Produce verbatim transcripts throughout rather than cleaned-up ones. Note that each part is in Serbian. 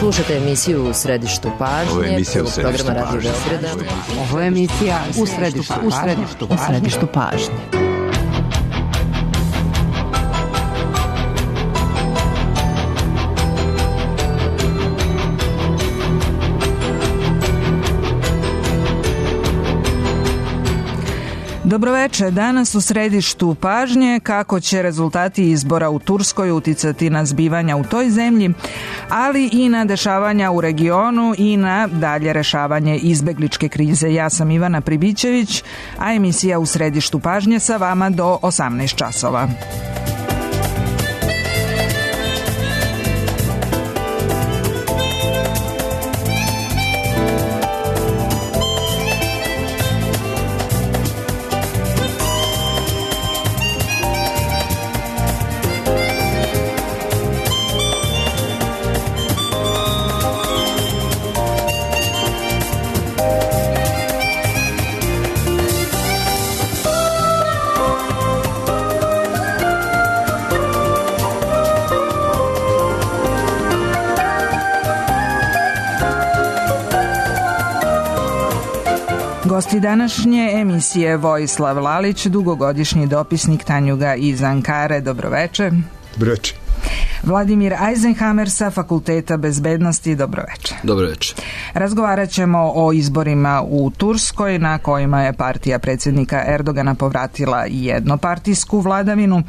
Slušate emisiju U središtu pažnje. Ovo je emisija U središtu pažnje. Ovo je emisija U središtu pažnje. U središtu pažnje. Dobroveče, danas u središtu pažnje kako će rezultati izbora u Turskoj uticati na zbivanja u toj zemlji, ali i na dešavanja u regionu i na dalje rešavanje izbegličke krize. Ja sam Ivana Pribićević, a emisija U središtu pažnje sa vama do osamnaest časova. Gosti današnje emisije Vojislav Lalić, dugogodišnji dopisnik Tanjuga iz Ankare. Dobroveče. Dobroveče. Vladimir Eisenhammer sa Fakulteta bezbednosti. Dobroveče. Dobroveče. Razgovarat ćemo o izborima u Turskoj na kojima je partija predsjednika Erdogana povratila jednopartijsku vladavinu,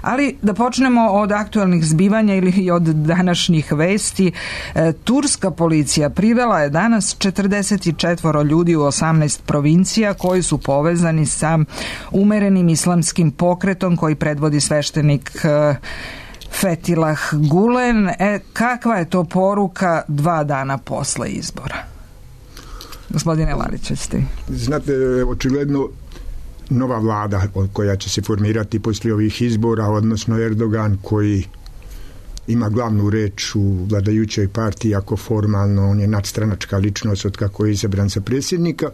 ali da počnemo od aktualnih zbivanja ili od današnjih vesti. E, turska policija privela je danas četrdeset četiri ljudi u osamnaest provincija koji su povezani sa umerenim islamskim pokretom koji predvodi sveštenik e, Fethullah Gulen. E, kakva je to poruka dva dana posle izbora? Gospodine Lalić, ste vi. Znate, očigledno nova vlada koja će se formirati poslije ovih izbora, odnosno Erdogan koji ima glavnu reč u vladajućoj partiji, ako formalno on je nadstranačka ličnost od kako je izabran za predsjednika,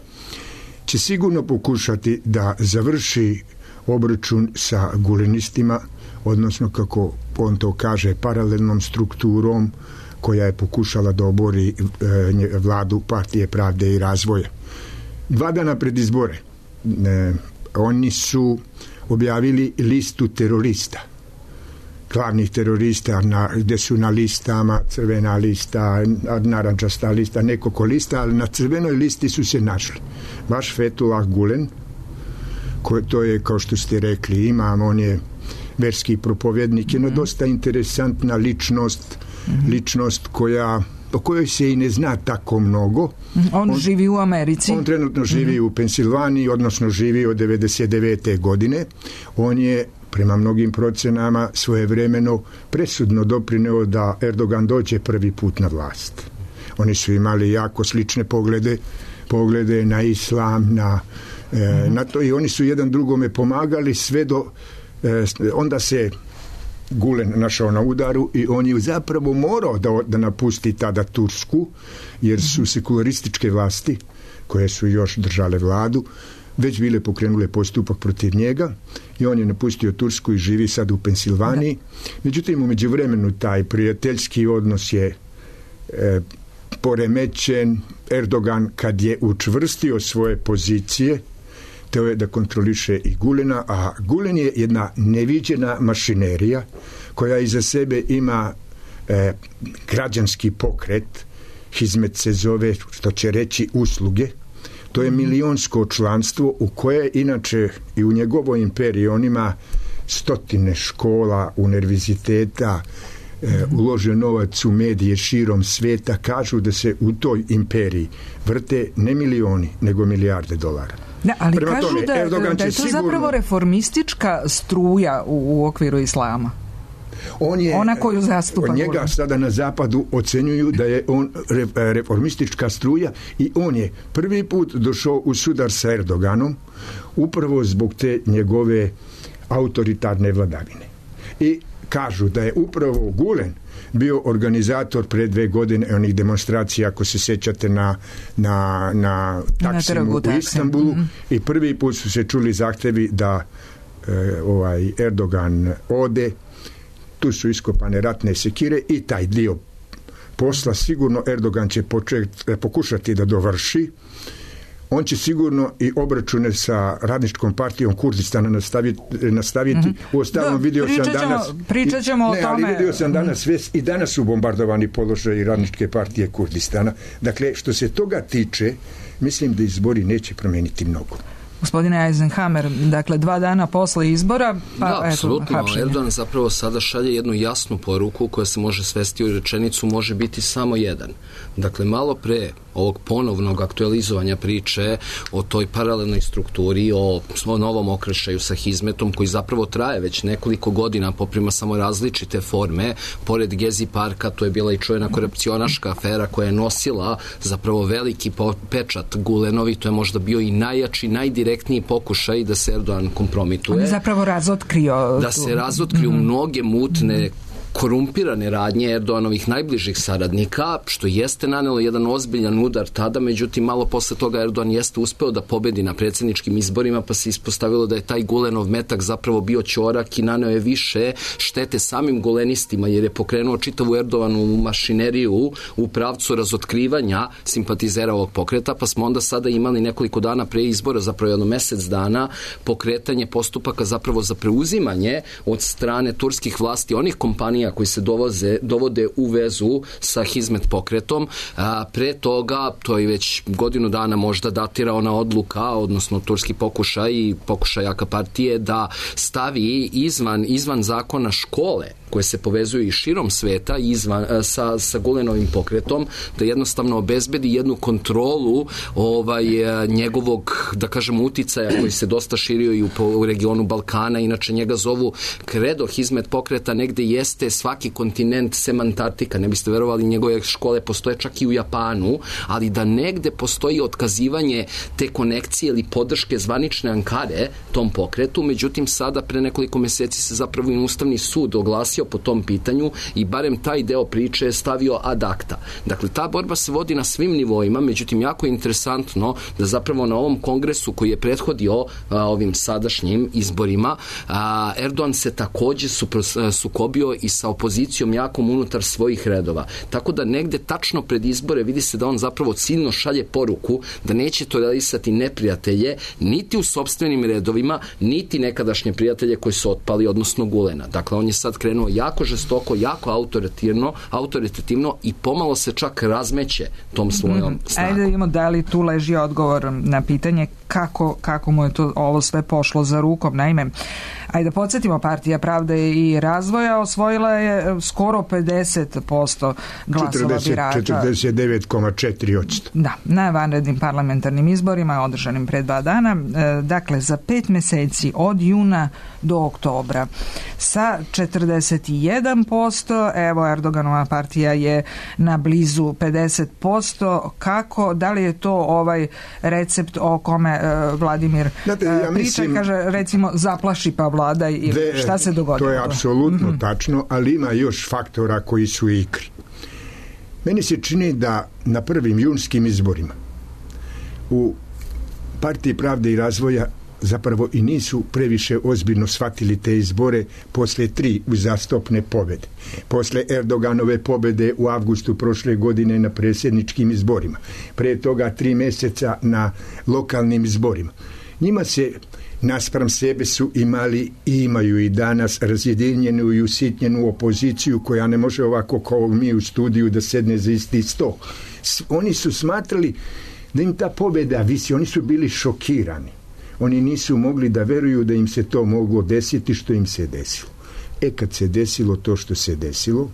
će sigurno pokušati da završi obračun sa gulenistima, odnosno kako on to kaže paralelnom strukturom koja je pokušala da obori e, vladu partije pravde i razvoja. Dva dana pred izbore e, oni su objavili listu terorista, glavnih terorista, na, gde su na listama crvena lista, narančasta lista, nekoliko lista, ali na crvenoj listi su se našli baš Fethullah Gulen, ko, to je, kao što ste rekli, imam, on je verski propovjednik, jedno mm-hmm. dosta interesantna ličnost, mm-hmm. ličnost koja, o kojoj se i ne zna tako mnogo. On, on živi u Americi. On trenutno živi mm-hmm. u Pensilvaniji, odnosno živi od devedeset devete godine. On je, prema mnogim procenama, svojevremeno presudno doprineo da Erdogan dođe prvi put na vlast. Oni su imali jako slične poglede, poglede na islam, na, mm-hmm. e, na to, i oni su jedan drugome pomagali sve do onda se Gulen našao na udaru i on je zapravo morao da, da napusti tada Tursku, jer su sekularističke vlasti koje su još držale vladu već bile pokrenule postupak protiv njega i on je napustio Tursku i živi sad u Pensilvaniji. Međutim, u međuvremenu taj prijateljski odnos je e, poremećen. Erdogan kad je učvrstio svoje pozicije, teo je da kontroliše i Gulena, a Gulen je jedna neviđena mašinerija koja iza sebe ima e, građanski pokret, Hizmet se zove, što će reći usluge. To je milionsko članstvo u koje inače i u njegovoj imperiji on ima stotine škola, univerziteta, e, uložio novac u medije širom sveta. Kažu da se u toj imperiji vrte ne milioni, nego milijarde dolara. Da, ali Prema kažu tome, da, da je to sigurno zapravo reformistička struja u, u okviru islama. On je, ona koju zastupa. Njega Gulen. Sada na zapadu ocenjuju da je on re, reformistička struja i on je prvi put došao u sudar sa Erdoganom upravo zbog te njegove autoritarne vladavine. I kažu da je upravo Gulen bio organizator pre dve godine onih demonstracija, ako se sjećate, na, na, na Taksimu u Istanbulu, mm-hmm. i prvi put su se čuli zahtevi da e, ovaj Erdogan ode. Tu su iskopane ratne sekire i taj dio posla sigurno Erdogan će počet, pokušati da dovrši. On će sigurno i obračune sa radničkom partijom Kurdistana nastaviti. nastaviti. Mm-hmm. U ostalom vidio sam danas... Pričat ćemo o ne, tome. ali vidio sam danas mm-hmm. i danas su bombardovani položaji radničke partije Kurdistana. Dakle, što se toga tiče, mislim da izbori neće promeniti mnogo. Gospodine Eisenhammer, dakle dva dana posle izbora, pa da, eto, apsolutno. hapšenje. Erdogan zapravo sada šalje jednu jasnu poruku koja se može svesti u rečenicu, može biti samo jedan. Dakle, malo pre ovog ponovnog aktualizovanja priče o toj paralelnoj strukturi, o novom okršaju sa Hizmetom koji zapravo traje već nekoliko godina, poprima samo različite forme. Pored Gezi parka, to je bila i čujena korupcionaška afera koja je nosila zapravo veliki pečat Gulenovi, to je možda bio i najjači, najdirektniji pokušaj da se Erdogan kompromituje. On je zapravo razotkrio. Da se razotkriju mm-hmm. mnoge mutne korumpirane radnje Erdoganovih najbližih saradnika, što jeste nanelo jedan ozbiljan udar tada, međutim malo posle toga Erdogan jeste uspeo da pobedi na predsjedničkim izborima, pa se ispostavilo da je taj Gulenov metak zapravo bio ćorak i naneo je više štete samim gulenistima, jer je pokrenuo čitavu Erdoganovu mašineriju u pravcu razotkrivanja simpatizera ovog pokreta, pa smo onda sada imali nekoliko dana pre izbora, zapravo jedno mesec dana, pokretanje postupaka zapravo za preuzimanje od strane turskih vlasti onih kompanija koji se dovoze, dovode u vezu sa Hizmet pokretom. A, pre toga, to je već godinu dana možda datira ona odluka, odnosno turski pokušaj i pokušaj A K partije da stavi izvan, izvan zakona škole koje se povezuju i širom sveta izvan, sa, sa Gulenovim pokretom, da jednostavno obezbedi jednu kontrolu ovaj, njegovog, da kažemo, uticaja koji se dosta širio i u, u regionu Balkana. Inače njega zovu kredo Hizmet pokreta, negde jeste svaki kontinent sem Antarktika. Ne biste verovali, njegove škole postoje čak i u Japanu, ali da negde postoji otkazivanje te konekcije ili podrške zvanične Ankare tom pokretu. Međutim, sada pre nekoliko meseci se zapravo i Ustavni sud oglasio po tom pitanju i barem taj deo priče je stavio ad acta. Dakle, ta borba se vodi na svim nivoima, međutim, jako je interesantno da zapravo na ovom kongresu koji je prethodio a, ovim sadašnjim izborima, a, Erdogan se takođe supro- sukobio i sa opozicijom jakom unutar svojih redova. Tako da negde tačno pred izbore vidi se da on zapravo ciljno šalje poruku da neće tolerisati neprijatelje niti u sopstvenim redovima, niti nekadašnje prijatelje koji su otpali, odnosno Gulena. Dakle, on je sad krenuo jako žestoko, jako autoritativno, autoritativno i pomalo se čak razmeće tom svojom snagom. Ajde da imamo da li tu leži odgovor na pitanje kako, kako mu je to ovo sve pošlo za rukom. Naime, ajde da podsjetimo, Partija pravde i razvoja osvojila je skoro pedeset posto glasova birača. četrdeset devet zarez četiri posto. Da, na vanrednim parlamentarnim izborima održanim pre dva dana. Dakle, za pet meseci od juna do oktobra sa četrdeset jedan posto, evo Erdoganova partija je na blizu pedeset posto. Kako, da li je to ovaj recept o kome uh, Vladimir Znate, ja priča, mislim, kaže recimo zaplaši pa vlada ili de, šta se dogodilo? To je apsolutno mm-hmm. tačno, ali ima još faktora koji su igri. Meni se čini da na prvim junskim izborima u Partiji pravde i razvoja zapravo i nisu previše ozbiljno shvatili te izbore posle tri uzastopne pobede. Posle Erdoganove pobede u avgustu prošle godine na predsjedničkim izborima. Pre toga tri meseca na lokalnim izborima. Njima se naspram sebe su imali i imaju i danas razjedinjenu i usitnjenu opoziciju koja ne može ovako kao mi u studiju da sedne za isti sto. Oni su smatrali da im ta pobjeda visi, oni su bili šokirani. Oni nisu mogli da veruju da im se to moglo desiti što im se desilo. E kad se desilo to što se desilo,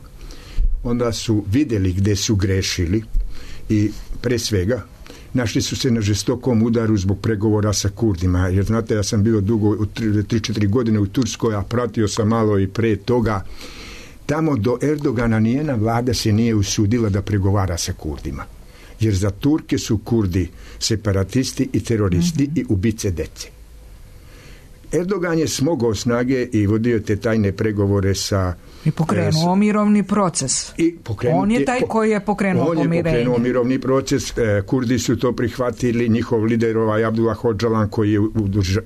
onda su vidjeli gde su grešili i pre svega našli su se na žestokom udaru zbog pregovora sa Kurdima, jer znate, ja sam bio dugo, tri četiri godine u Turskoj, a pratio sam malo i pre toga. Tamo do Erdogana nijena vlada se nije usudila da pregovara sa Kurdima, jer za Turke su Kurdi separatisti i teroristi mm-hmm. i ubice dece. Erdogan je smogao snage i vodio te tajne pregovore sa... I pokrenuo mirovni proces. I on je taj koji je pokrenuo pomirenje. On je pokrenuo mirovni proces, Kurdi su to prihvatili, njihov lider ovaj Abdullah Öcalan koji je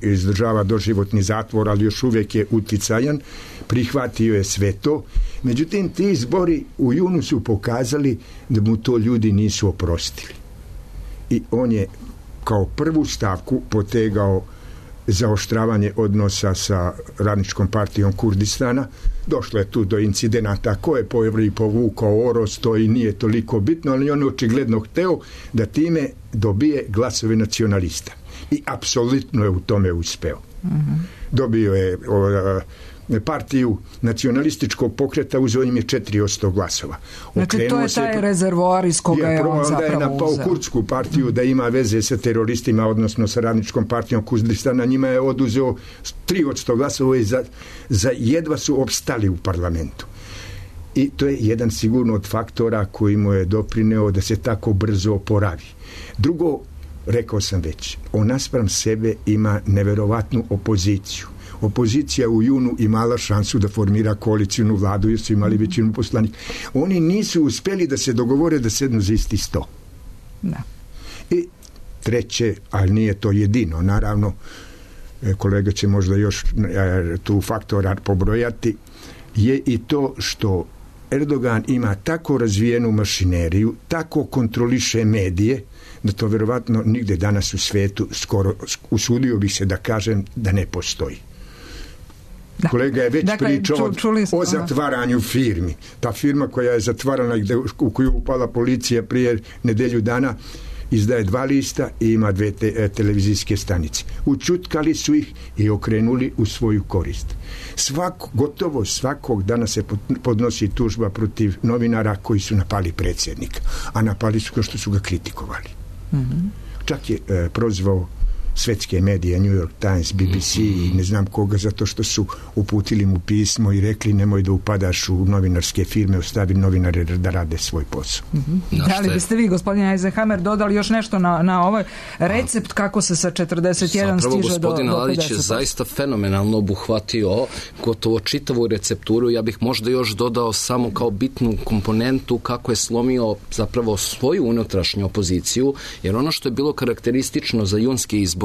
izdržava doživotni zatvor, ali još uvijek je uticajan, prihvatio je sve to. Međutim, ti izbori u junu su pokazali da mu to ljudi nisu oprostili. I on je kao prvu stavku potegao zaoštravanje odnosa sa Radničkom partijom Kurdistana. Došlo je tu do incidenata, ko je povri povukao oros, to i nije toliko bitno, ali on je očigledno hteo da time dobije glasove nacionalista. I apsolutno je u tome uspeo. Mm-hmm. Dobio je o, partiju nacionalističkog pokreta, uzeo im je četiri posto glasova. Znači to je taj rezervoar iz koga je, je on zapravo uzeo. Onda je napao kurdsku partiju da ima veze sa teroristima, odnosno sa Radničkom partijom Kurdistana, njima je oduzeo tri posto glasova i za, za jedva su opstali u parlamentu. I to je jedan sigurno od faktora koji mu je doprineo da se tako brzo oporavi. Drugo, rekao sam već, on naspram sebe ima neverovatnu opoziciju. Opozicija u junu imala šansu da formira koalicijnu vladu jer su imali većinu poslanika. Oni nisu uspjeli da se dogovore da sednu za isti sto. Da. I treće, ali nije to jedino, naravno, kolega će možda još tu faktora pobrojati, je i to što Erdogan ima tako razvijenu mašineriju, tako kontroliše medije, da to vjerovatno nigde danas u svijetu skoro, usudio bih se da kažem da ne postoji. Da. Kolega je već dakle, pričao ču, o zatvaranju firmi. Ta firma koja je zatvarana gde, u koju upala policija prije nedelju dana izdaje dva lista i ima dve te, televizijske stanice. Učutkali su ih i okrenuli u svoju korist. Svako, gotovo svakog dana se podnosi tužba protiv novinara koji su napali predsjednika, a napali su kao što su ga kritikovali. Mm-hmm. Čak je e, prozvao svetske medije, New York Times, B B C i ne znam koga, zato što su uputili mu pismo i rekli nemoj da upadaš u novinarske firme, ostavi novinare da rade svoj posao. Mm-hmm. No, da li biste vi, gospodine Eisenhammer, dodali još nešto na, na ovaj recept kako se sa četrdeset jedan zapravo, stiže do, do gospodin Ladić je zaista fenomenalno obuhvatio gotovo čitavu recepturu. Ja bih možda još dodao samo kao bitnu komponentu kako je slomio zapravo svoju unutrašnju opoziciju, jer ono što je bilo karakteristično za junske izbore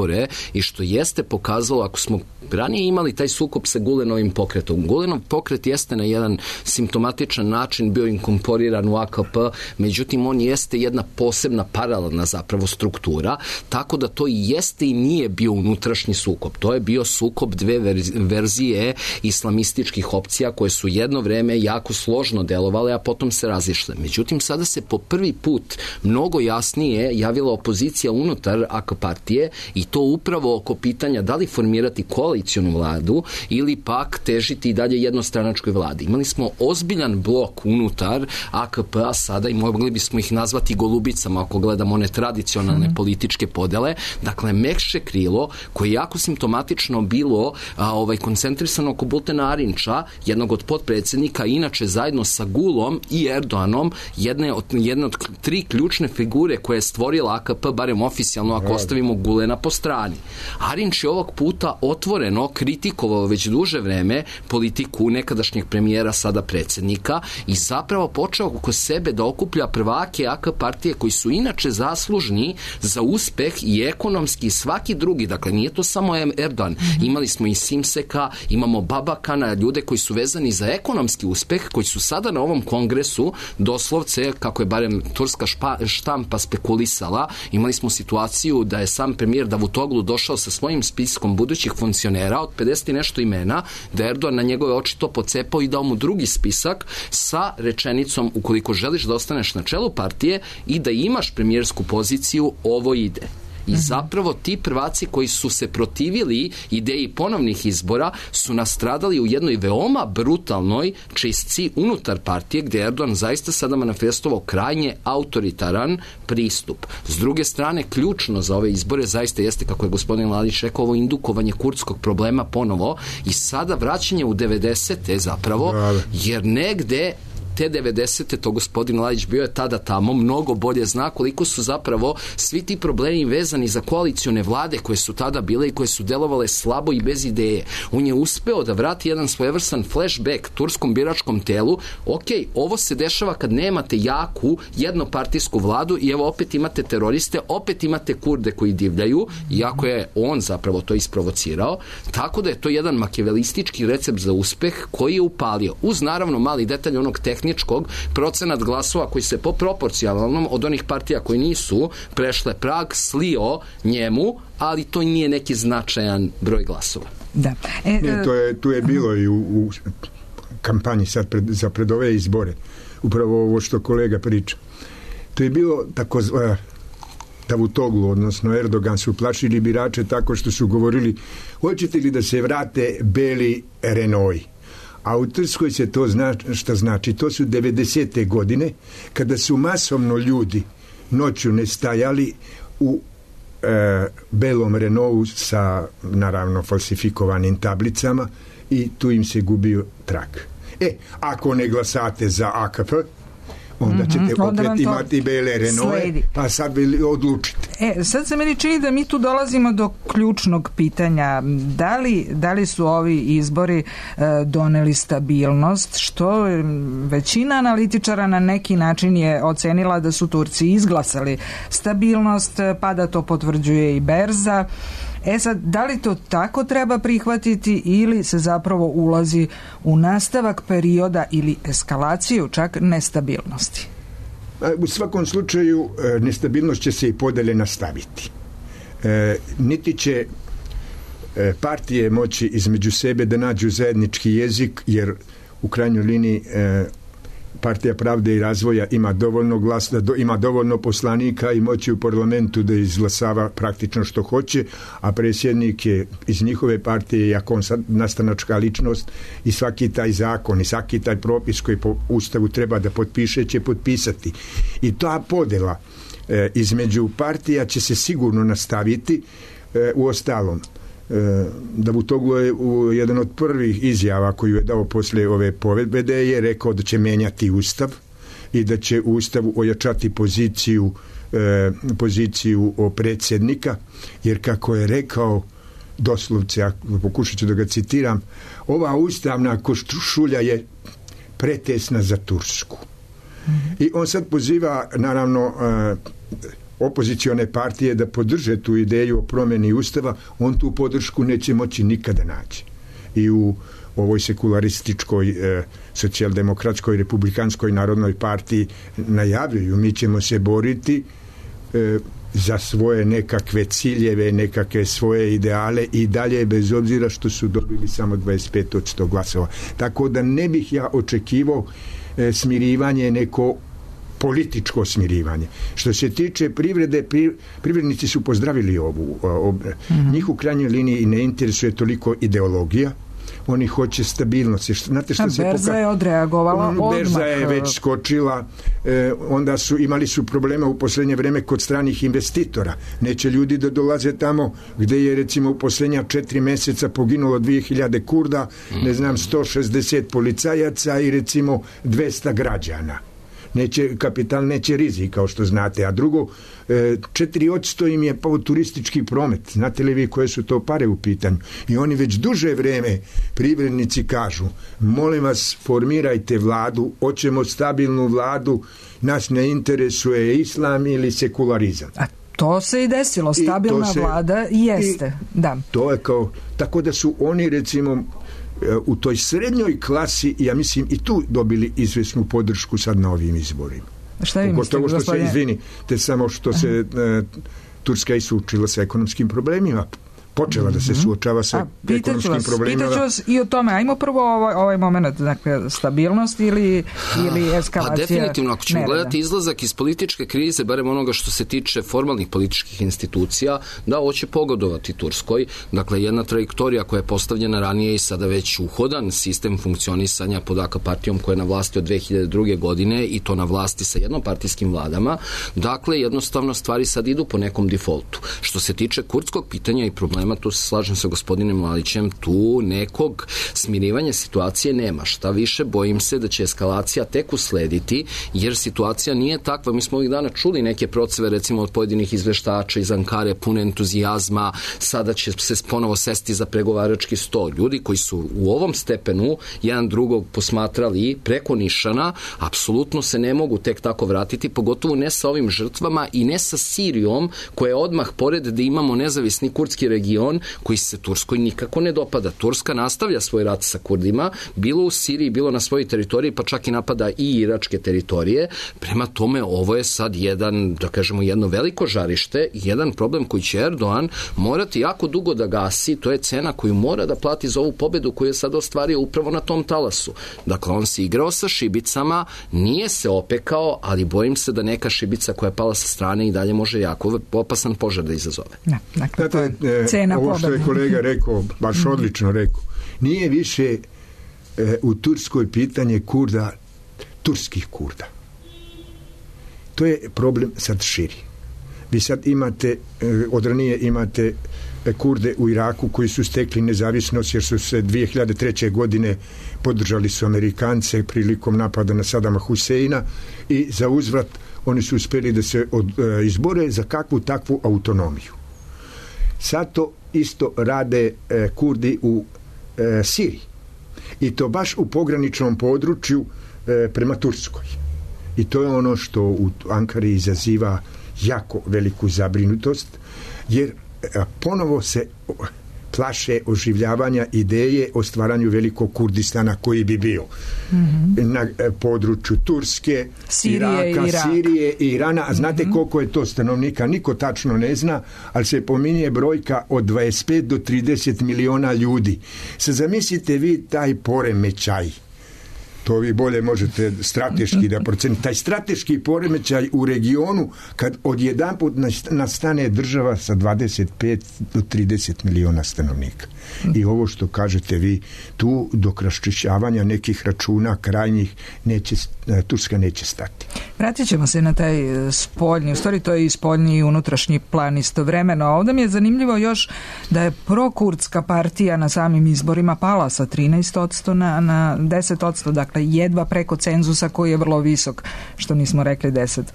i što jeste pokazalo, ako smo ranije imali taj sukob sa Gulenovim pokretom. Gulenov pokret jeste na jedan simptomatičan način bio inkorporiran u A K P, međutim on jeste jedna posebna paralelna zapravo struktura, tako da to i jeste i nije bio unutrašnji sukob. To je bio sukob dve verzije islamističkih opcija koje su jedno vreme jako složno delovale, a potom se razišle. Međutim, sada se po prvi put mnogo jasnije javila opozicija unutar A K partije i to upravo oko pitanja da li formirati koalicijonu vladu ili pak težiti i dalje jednostranačkoj vladi. Imali smo ozbiljan blok unutar A K P-a sada i mogli bismo ih nazvati golubicama ako gledamo one tradicionalne mm. političke podele. Dakle, mekše krilo koje je jako simptomatično bilo a, ovaj, koncentrisano oko Bultena Arinča, jednog od potpredsjednika, inače zajedno sa Gulom i Erdoganom, jedne od, jedne od tri ključne figure koje je stvorila A K P, barem oficijalno ako ostavimo Gulena po strani. Arinč je ovog puta otvoreno kritikovao već duže vreme politiku nekadašnjeg premijera, sada predsjednika, i zapravo počeo oko sebe da okuplja prvake A K partije koji su inače zaslužni za uspeh i ekonomski i svaki drugi. Dakle, nije to samo Erdogan. Mm-hmm. Imali smo i Simseka, imamo Babakana, ljude koji su vezani za ekonomski uspeh, koji su sada na ovom kongresu doslovce, kako je barem turska špa, štampa spekulisala, imali smo situaciju da je sam premijer Davutoglu došao sa svojim spiskom budućih funkcionera od pedeset i nešto imena, da Erdogan na njegove oči to pocepao i dao mu drugi spisak sa rečenicom ukoliko želiš da ostaneš na čelu partije i da imaš premijersku poziciju, ovo ide. I zapravo ti prvaci koji su se protivili ideji ponovnih izbora su nastradali u jednoj veoma brutalnoj čistci unutar partije gdje Erdogan zaista sada manifestovao krajnje autoritaran pristup. S druge strane, ključno za ove izbore zaista jeste, kako je gospodin Ladić rekao, ovo indukovanje kurdskog problema ponovo i sada vraćanje u devedesete zapravo, jer negde te devedesete to gospodin Ljajić bio je tada tamo, mnogo bolje zna koliko su zapravo svi ti problemi vezani za koalicione vlade koje su tada bile i koje su delovale slabo i bez ideje. On je uspeo da vrati jedan svojevrstan flashback turskom biračkom telu. Ok, ovo se dešava kad nemate jaku jednopartijsku vladu i evo opet imate teroriste, opet imate Kurde koji divljaju, iako je on zapravo to isprovocirao. Tako da je to jedan makijavelistički recept za uspeh koji je upalio. Uz naravno mali detalj onog tehničkog procenat glasova koji se po proporcionalnom od onih partija koji nisu prešle prag slio njemu, ali to nije neki značajan broj glasova. Da. E, ne, to je, tu je bilo i u, u kampanji sad pred, za pred ove izbore. Upravo ovo što kolega priča. To je bilo tako zva Davutoglu, odnosno Erdogan su plašili birače tako što su govorili hoćete li da se vrate beli Renault. A u Turskoj se to zna šta znači. To su devedesete godine kada su masovno ljudi noću nestajali u e, belom Renaultu sa naravno falsifikovanim tablicama i tu im se gubio trak. E, ako ne glasate za A K P, onda ćete mm-hmm, opet onda imati bele Renault, pa sad vi odlučite. E, sad se meni čini da mi tu dolazimo do ključnog pitanja. Da li, da li su ovi izbori e, doneli stabilnost, što većina analitičara na neki način je ocenila da su Turci izglasali stabilnost, pa da to potvrđuje i berza. E sad, da li to tako treba prihvatiti ili se zapravo ulazi u nastavak perioda ili eskalaciju čak nestabilnosti? U svakom slučaju nestabilnost će se i podalje nastaviti. E, niti će e, partije moći između sebe da nađu zajednički jezik, jer u krajnjoj liniji e, Partija pravde i razvoja ima dovoljno glasa, do, ima dovoljno poslanika i moći u parlamentu da izglasava praktično što hoće, a predsjednik je iz njihove partije, iako on sad nastanačka ličnost, i svaki taj zakon i svaki taj propis koji po Ustavu treba da potpiše će potpisati. I ta podela e, između partija će se sigurno nastaviti. E, u ostalom, Davutoglu je u jedan od prvih izjava koju je dao poslije ove pobjede je rekao da će menjati Ustav i da će u Ustavu ojačati poziciju eh, poziciju o predsjednika, jer kako je rekao doslovce, ako pokušat ću da ga citiram, ova ustavna košulja je pretesna za Tursku. Mm-hmm. I on sad poziva naravno eh, opozicione partije da podrže tu ideju o promjeni Ustava. On tu podršku neće moći nikada naći. I u ovoj sekularističkoj e, socijaldemokratskoj republikanskoj narodnoj partiji najavljuju mi ćemo se boriti e, za svoje nekakve ciljeve, nekakve svoje ideale i dalje, bez obzira što su dobili samo dvadeset pet od sto glasova. Tako da ne bih ja očekivao e, smirivanje neko političko smirivanje. Što se tiče privrede, pri, privrednici su pozdravili ovu. Ob, mm-hmm. Njih u krajnjoj liniji ne interesuje toliko ideologija, oni hoće stabilnost. Znate što se berza poka... je odreagovala odmah. Berza je već skočila, e, onda su imali su problema u posljednje vreme kod stranih investitora. Neće ljudi da dolaze tamo gdje je recimo u posljednja četiri mjeseca poginulo dvije hiljade Kurda, mm-hmm. ne znam, sto šezdeset policajaca i recimo dvesta građana. Neće, kapital neće rizik, kao što znate. A drugo, četiri odsto im je pao turistički promet. Znate li vi koje su to pare u pitanju? I oni već duže vreme, privrednici kažu, molim vas, formirajte vladu, hoćemo stabilnu vladu, nas ne interesuje islam ili sekularizam. A to se i desilo, stabilna I se, vlada jeste. I da. To je kao, tako da su oni recimo u toj srednjoj klasi, ja mislim, i tu dobili izvesnu podršku sad na ovim izborima. Šta vi mislite, što gospodine? se, izvini, te samo što se e, Turska i suočila sa ekonomskim problemima. Počela da se suočava sa A, ekonomskim vas, problemima. Pitaću vas i o tome. Ajmo prvo ovaj, ovaj moment, dakle, stabilnost ili, ili eskalacija. Pa definitivno, ako ćemo nereda. gledati izlazak iz političke krize, barem onoga što se tiče formalnih političkih institucija, da, ovo će pogodovati Turskoj. Dakle, jedna trajektorija koja je postavljena ranije i sada već uhodan sistem funkcionisanja pod A K partijom koja je na vlasti od dve hiljade druge. godine i to na vlasti sa jednopartijskim vladama. Dakle, jednostavno stvari sad idu po nekom defaultu. Što se tiče kurdskog pitanja i problema problema, tu se slažem sa gospodinom Mladićem, tu nekog smirivanja situacije nema. Šta više, bojim se da će eskalacija tek uslediti, jer situacija nije takva. Mi smo ovih dana čuli neke proceve, recimo od pojedinih izveštača iz Ankare, pune entuzijazma, sada će se ponovo sesti za pregovarački sto. Ljudi koji su u ovom stepenu jedan drugog posmatrali preko nišana, apsolutno se ne mogu tek tako vratiti, pogotovo ne sa ovim žrtvama i ne sa Sirijom, koja je odmah pored da imamo nezavisni kurdski region koji se Turskoj nikako ne dopada. Turska nastavlja svoj rat sa Kurdima, bilo u Siriji, bilo na svojoj teritoriji, pa čak i napada i iračke teritorije. Prema tome, ovo je sad jedan, da kažemo, jedno veliko žarište, jedan problem koji će Erdogan morati jako dugo da gasi, to je cena koju mora da plati za ovu pobedu koju je sad ostvario upravo na tom talasu. Dakle, on se igrao sa šibicama, nije se opekao, ali bojim se da neka šibica koja je pala sa strane i dalje može jako opasan požar da izazove. Da, dakle, to je cena ovo što je kolega rekao, baš odlično rekao, nije više e, u Turskoj pitanje Kurda, turskih Kurda. To je problem sad širi. Vi sad imate, e, od ranije imate Kurde u Iraku koji su stekli nezavisnost jer su se dvije hiljade treće. godine podržali su Amerikance prilikom napada na Sadama Huseina i za uzvrat oni su uspjeli da se od, e, izbore za kakvu takvu autonomiju. Sad to isto rade e, Kurdi u e, Siriji. I to baš u pograničnom području e, prema Turskoj. I to je ono što u Ankari izaziva jako veliku zabrinutost, jer e, ponovo se plaše oživljavanja ideje o stvaranju velikog Kurdistana koji bi bio mm-hmm. na e, području Turske, Sirije, Iraka, Irak. Sirije i Irana. A znate mm-hmm. koliko je to stanovnika? Niko tačno ne zna, ali se pominje brojka od dvadeset pet do trideset miliona ljudi. Sad zamislite vi taj poremećaj. To vi bolje možete strateški da procenite. Taj strateški poremećaj u regionu kad odjedanput nastane država sa dvadeset pet do trideset miliona stanovnika. I ovo što kažete vi, tu dok raščišćavanja nekih računa krajnjih neće, Turska neće stati. Vratit ćemo se na taj spoljni, u stvari to je i spoljni i unutrašnji plan istovremeno. Ovdje mi je zanimljivo još da je prokurdska partija na samim izborima pala sa trinaest posto na, na deset posto, dakle jedva preko cenzusa koji je vrlo visok, što nismo rekli deset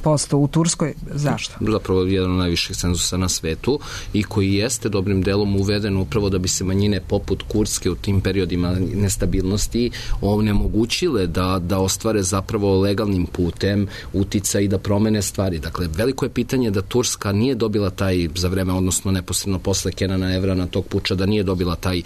posto u Turskoj. Zašto? Zapravo jedan od najviših cenzusa na svetu i koji jeste dobrim delom uveden upravo da bi se manjine poput Kurdske u tim periodima nestabilnosti onemogućile da, da ostvare zapravo legalnim putem uticaj i da promene stvari. Dakle, veliko je pitanje da Turska nije dobila taj za vreme, odnosno neposredno posle Kenana Evrana tog puča, da nije dobila taj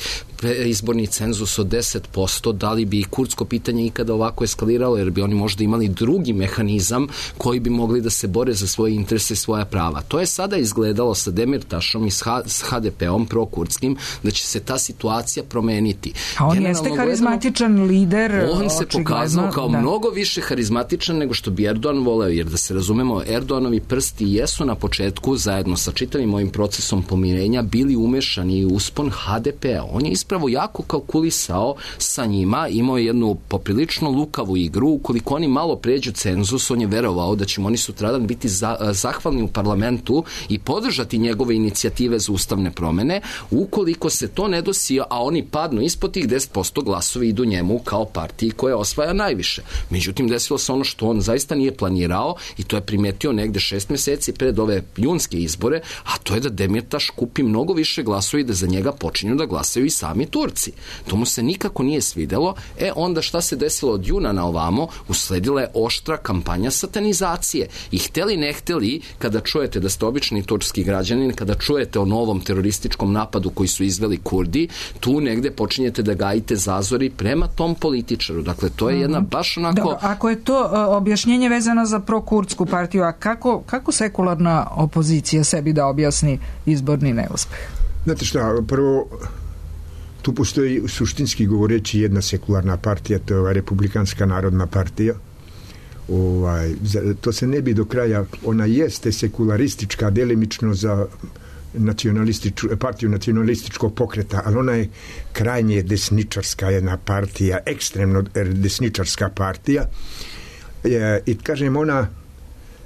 izborni cenzus od deset posto, da li bi kurdsko pitanje ikada ovako eskaliralo, jer bi oni možda imali drugi mehanizam koji bi mogli da se bore za svoje interese i svoja prava. To je sada izgledalo sa Demirtašom i s ha de pe-om prokurdskim da će se ta situacija promeniti. A on Generalno jeste karizmatičan gledano, lider. On se pokazao kao da. mnogo više harizmatičan nego što bi Erdogan voleo, jer da se razumemo, Erdoganovi prsti jesu na početku zajedno sa čitavim ovim procesom pomirenja bili umešani u uspon ha de pe-a. On je ispravo jako kalkulisao sa njima, imao je jednu poprilično lukavu igru, ukoliko oni malo pređu cenzus, on je verovao da će oni sutradan biti za, zahvalni u parlamentu i podržati njegove inicijative za ustavne promene. Ukoliko se to ne dosi, a oni padnu ispod tih deset posto, glasovi idu njemu kao partiji koja osvaja najviše. Međutim, desilo se ono što on zaista nije planirao i to je primetio negde šest meseci pred ove junske izbore, a to je da Demirtaš kupi mnogo više glasova i da za njega počinju da glasaju i sami Turci. To mu se nikako nije svidelo. E, onda šta se desilo od juna na ovamo? Usledila je oštra kampanja satanizacije. I hteli ne hteli, kada čujete da ste obični turski građanin, kada čujete o novom terorističkom napadu koji su izveli Kurdi, tu negde počinjete da gajite zazori prema tom političaru. Dakle, to je jedna baš onako... Dobro, ako je to uh, objašnjenje vezano za prokurdsku partiju, a kako, kako sekularna opozicija sebi da objasni izborni neuspeh? Znate šta, prvo, tu postoji suštinski govoreći jedna sekularna partija, to je ova Republikanska narodna partija. Ovaj, to se ne bi do kraja, ona jeste sekularistička, delimično za nacionalističku, partiju nacionalističkog pokreta, ali ona je krajnje desničarska jedna partija, ekstremno desničarska partija. E, I kažem, ona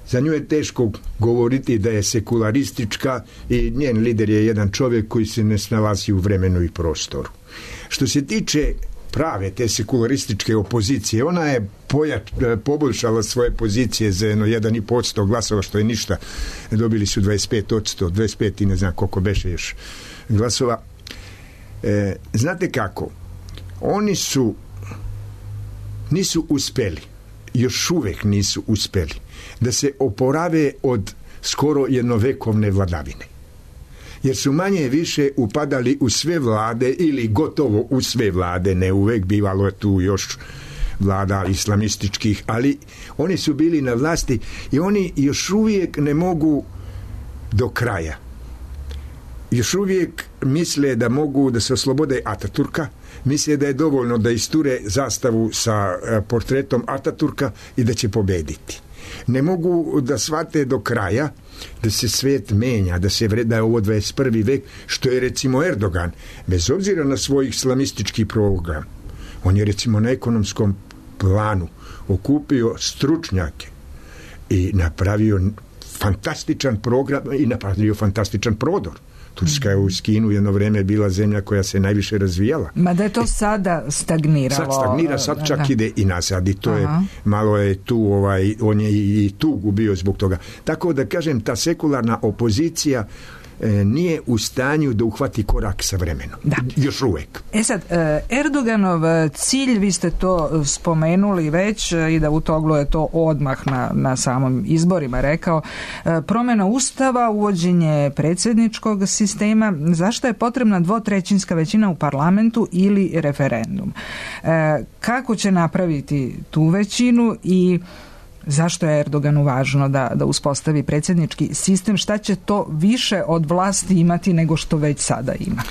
Za nju je teško govoriti da je sekularistička i njen lider je jedan čovjek koji se ne snalazi u vremenu i prostoru. Što se tiče prave te sekularističke opozicije, ona je pojač, poboljšala svoje pozicije za jedno jedan i po posto glasova, što je ništa. Dobili su dvadeset pet posto, dvadeset pet i ne znam koliko beše još glasova. E, znate kako? Oni su nisu uspeli, još uvek nisu uspeli da se oporave od skoro jednovekovne vladavine. Jer su manje više upadali u sve vlade ili gotovo u sve vlade, ne uvek, bivalo je tu još vlada islamističkih, ali oni su bili na vlasti i oni još uvijek ne mogu do kraja. Još uvijek misle da mogu da se oslobode Ataturka, misle da je dovoljno da isture zastavu sa portretom Ataturka i da će pobediti. Ne mogu da shvate do kraja da se svijet menja, da se vreda je ovo dvadeset prvi vek, što je recimo Erdogan, bez obzira na svoj islamistički program. On je recimo na ekonomskom planu okupio stručnjake i napravio fantastičan program i napravio fantastičan prodor. Turska je u Kinu jedno vreme bila zemlja koja se najviše razvijala. Ma da je to sada stagniralo. Sad stagnira, sad čak da. ide i nazad i to Aha. je, malo je tu, ovaj, on je i tu gubio zbog toga. Tako da kažem, ta sekularna opozicija nije u stanju da uhvati korak sa vremenom. Da. Još uvek. E sad, Erdoganov cilj, vi ste to spomenuli već i da Davutoglu je to odmah na, na samom izborima rekao, promjena ustava, uvođenje predsjedničkog sistema, zašto je potrebna dvotrećinska većina u parlamentu ili referendum? Kako će napraviti tu većinu i zašto je Erdoganu važno da, da uspostavi predsjednički sistem? Šta će to više od vlasti imati nego što već sada ima?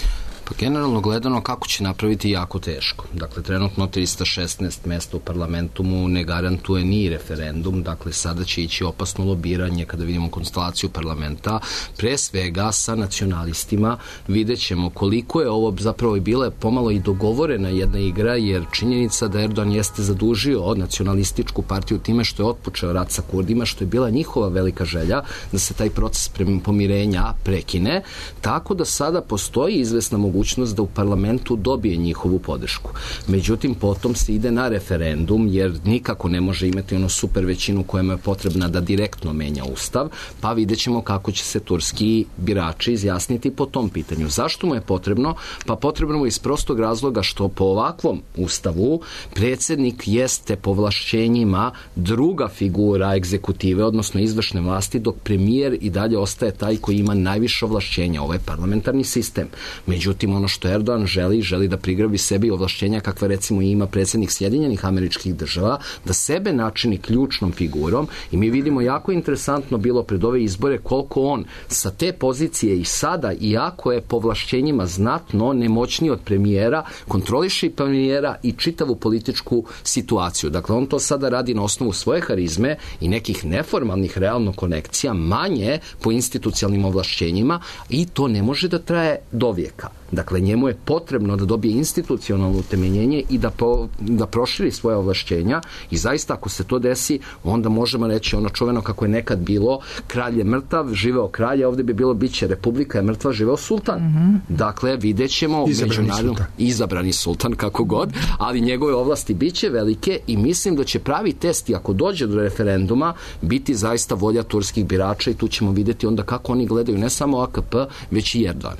Pa generalno gledano kako će napraviti jako teško. Dakle, trenutno trista šesnaest mjesta u parlamentu mu ne garantuje ni referendum, dakle sada će ići opasno lobiranje kada vidimo konstelaciju parlamenta, pre svega sa nacionalistima. Vidjet ćemo koliko je ovo zapravo i bila pomalo i dogovorena jedna igra, jer činjenica da Erdogan jeste zadužio od nacionalističku partiju time što je otpočeo rat sa Kurdima, što je bila njihova velika želja da se taj proces pomirenja prekine, tako da sada postoji izvesna mogućnost da u parlamentu dobije njihovu podršku. Međutim, potom se ide na referendum, jer nikako ne može imati ono super većinu koja mu je potrebna da direktno menja ustav, pa vidjet ćemo kako će se turski birači izjasniti po tom pitanju. Zašto mu je potrebno? Pa potrebno je iz prostog razloga što po ovakvom ustavu predsjednik jeste po ovlašćenjima druga figura egzekutive, odnosno izvršne vlasti, dok premijer i dalje ostaje taj koji ima najviše ovlašćenja. Ovo je parlamentarni sistem. Međutim, ono što Erdogan želi, želi da prigrabi sebi ovlašćenja kakva recimo ima predsjednik Sjedinjenih Američkih Država, da sebe načini ključnom figurom, i mi vidimo jako interesantno bilo pred ove izbore koliko on sa te pozicije i sada, iako je po ovlašćenjima znatno nemoćniji od premijera, kontroliše i premijera i čitavu političku situaciju. Dakle, on to sada radi na osnovu svoje harizme i nekih neformalnih realno konekcija, manje po institucionalnim ovlašćenjima, i to ne može da traje do vijeka. Dakle, njemu je potrebno da dobije institucionalno utemeljenje i da, po, da proširi svoje ovlašćenja, i zaista ako se to desi, onda možemo reći ono čuveno kako je nekad bilo, kralj je mrtav, živeo kralj, a ovdje bi bilo biće republika je mrtva, živeo sultan. Mm-hmm. Dakle, vidjet ćemo izabrani sultan. izabrani sultan kako god, ali njegove ovlasti biće velike i mislim da će pravi test, i ako dođe do referenduma, biti zaista volja turskih birača, i tu ćemo vidjeti onda kako oni gledaju ne samo A K P, već i Erdogan.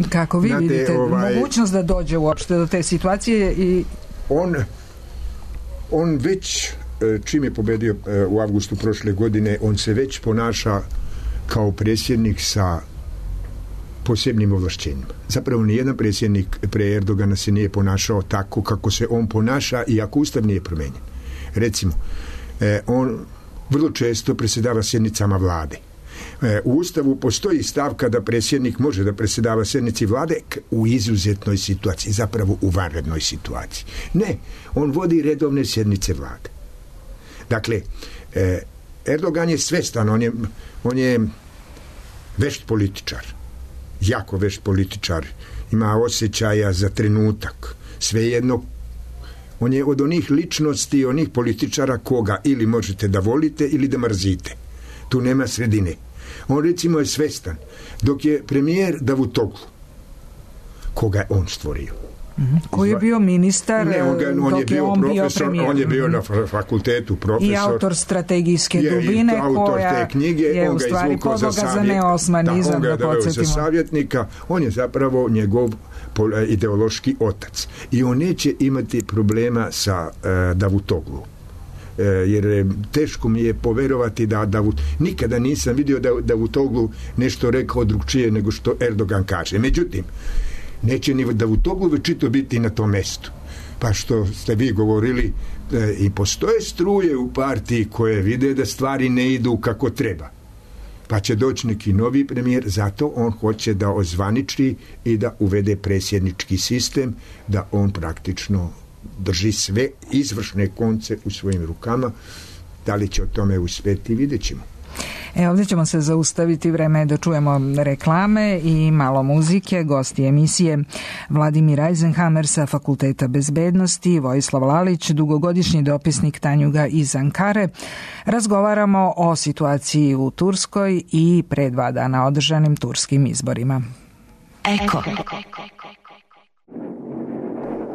Kako vi Znate, vidite ovaj, mogućnost da dođe uopšte do te situacije? I on, on već, čim je pobedio u avgustu prošle godine, on se već ponaša kao predsjednik sa posebnim ovlašćenjima. Zapravo nijedan predsjednik pre Erdogana se nije ponašao tako kako se on ponaša, i ako ustav nije promenjen. Recimo, on vrlo često predsjedava sjednicama vlade. U ustavu postoji stavka da predsjednik može da predsjedava sjednici vlade u izuzetnoj situaciji, zapravo u vanrednoj situaciji. Ne, on vodi redovne sjednice vlade. Dakle, Erdogan je svestan, on je, on je vešt političar, jako vešt političar, ima osjećaja za trenutak, svejedno. On je od onih ličnosti, onih političara koga ili možete da volite ili da mrzite. Tu nema sredine. On recimo je svestan, dok je premijer Davutoglu, koga je on stvorio. Mm-hmm. Koji je bio ministar, ne, on, ga, on dok je bio, je on profesor, bio premijer. On je bio na fakultetu profesor. I autor strategijske je, dubine, i autor koja te knjige, je on u stvari podloga za, za neosmanizam, da, on ga je da podsjetimo. Za savjetnika, on je zapravo njegov ideološki otac. I on neće imati problema sa uh, Davutoglu. Uh, jer teško mi je poverovati da Davut... Nikada nisam vidio da Davutoglu nešto rekao drugčije nego što Erdogan kaže. Međutim, neće ni Davutoglu večito biti na tom mestu. Pa što ste vi govorili, e, i postoje struje u partiji koje vide da stvari ne idu kako treba. Pa će doći neki novi premijer, zato on hoće da ozvaniči i da uvede predsjednički sistem, da on praktično drži sve izvršne konce u svojim rukama. Da li će o tome uspjeti, vidjet ćemo. E, ovdje ćemo se zaustaviti, vreme da čujemo reklame i malo muzike. Gosti emisije Vladimir Eisenhammer sa Fakulteta bezbednosti, Vojislav Lalić, dugogodišnji dopisnik Tanjuga iz Ankare. Razgovaramo o situaciji u Turskoj i pre dva dana održanim turskim izborima. Eko.